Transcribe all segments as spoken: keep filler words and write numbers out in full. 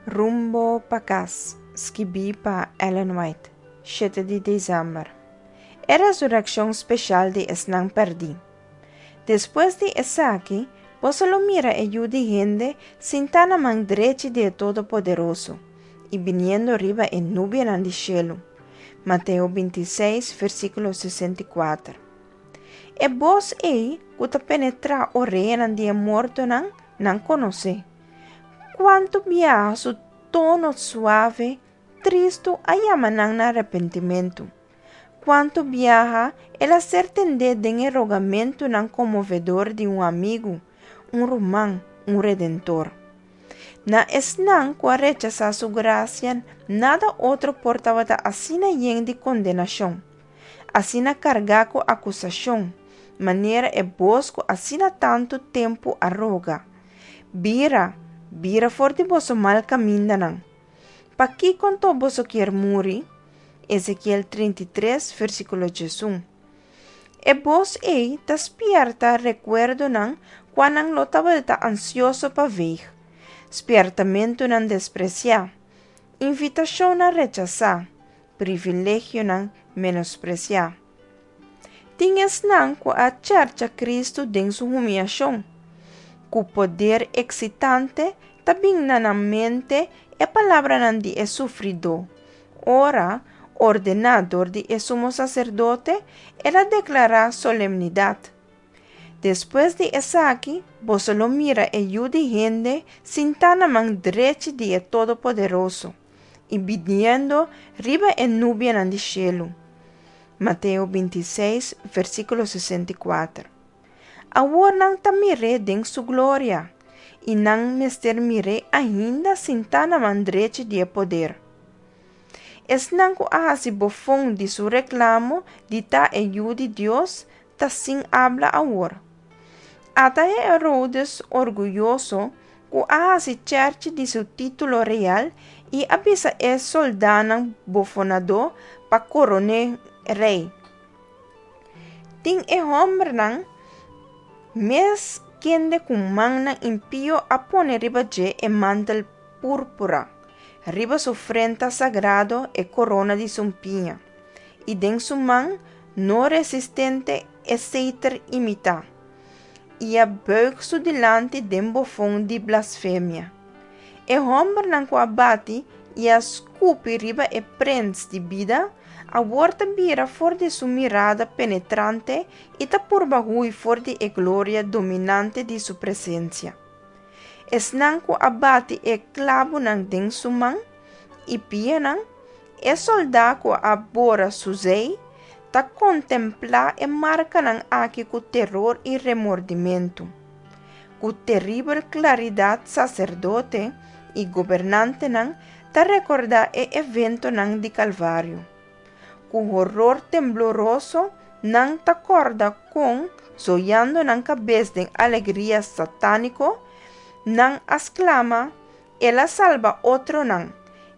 Rumbo pa kas, skibí pa Ellen White, shete di desèmber. E resurekshon spesial di esnan pèrdí. Despues di esaki, boso lo mira e Yu di hende sintá na man drechi di e Todopoderoso i biniendo riba e nubianan di shelu. Mateo binti seis, versíkulo sesenta i kuater. E bos ei ku ta penetrá oreanan di e mortonan, nan konosé. Kuantu biaha su tono suave, tristu a yama nan na arepentimentu. Kuantu biaha el a ser tendé den e rogamentunan konmovedor di un amigu, un ruman, un redentor. Na esnan ku a rechasá su grasia, nada otro por tabata asina yen di kondenashon, asina kargá ku akusashon, manera e bos ku asina tantu tempu a roga: Bira, bira for di boso mal kamindanan. Pakiko anto boso kier muri? Ezekiel trinta i tres, versíkulo diesun. E bos ei ta spièrta rekuerdonan kua nan lo tabata ansioso pa veeg, spièrtamentunan despresiá, invitashonnan rechasá, privilegionan menospresiá. Tin esnan ku a chèrcha Kristu den su humiashon, ku poder eksitante ta bin na nan mente e palabranan di e sufridó, ora, ordená dor di e sumo saserdote, el a deklará solemnidat: Despues di esaki, boso lo mira e Yu di hende sintá na man drechi di e Todopoderoso i biniendo riba e nubianan di shelu. Mateo binti seis, versíkulo sesenta i kuater. Awor nan ta mir'é den su gloria, i nan mester mir'é ainda sintá na man drechi di e poder. Esnan ku a hasi bofon di su reklamo di ta e Yu di Dios ta sin abla awor. Ata e Herodes orguyoso ku a hasi chèrchi di su título real i a bisa e sòldánan bofonadó pa koron'é rei. Tin e hòmbernan mes kende ku mannan impio a pone riba dje e mantel púrpura, riba su frenta sagrado e korona di sumpiña, i den su man no resistente e seiter imitá, i a buig su dilanti den bofon di blasfemia. E hòmbernan ku a bati i a skupi riba e prens di bida, awor ta bira for di su mirada penetrante i ta purba hui for di e gloria dominante di su presensia. Esnan ku a bati e klabunan den su man i pianan, e sòldá ku a bora su zei, ta kontemplá e markanan aki ku teror i remordimentu. Ku teribel klaridat saserdote i gobernantenan ta rekordá e eventonan di Kalvario. Ku horor tembloroso nan ta kòrda kon, zoyando nan kabes den alegria satániko, nan a sklama: El a salba otronan,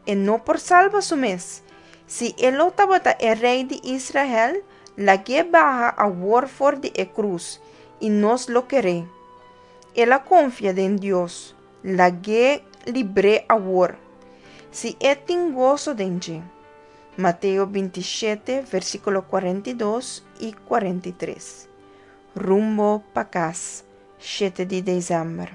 e no por salba su mes. Si e lo tabata e rei di Israel, lag'é baha awor for di e krus, i nos lo ker'é. El a konfia den Dios, lag'é libr'é awor, si e tin goso den dje. Mateo binti shete, versíkulo kuarenta i dos i kuarenta i tres. Rumbo pa kas, shete di desèmber.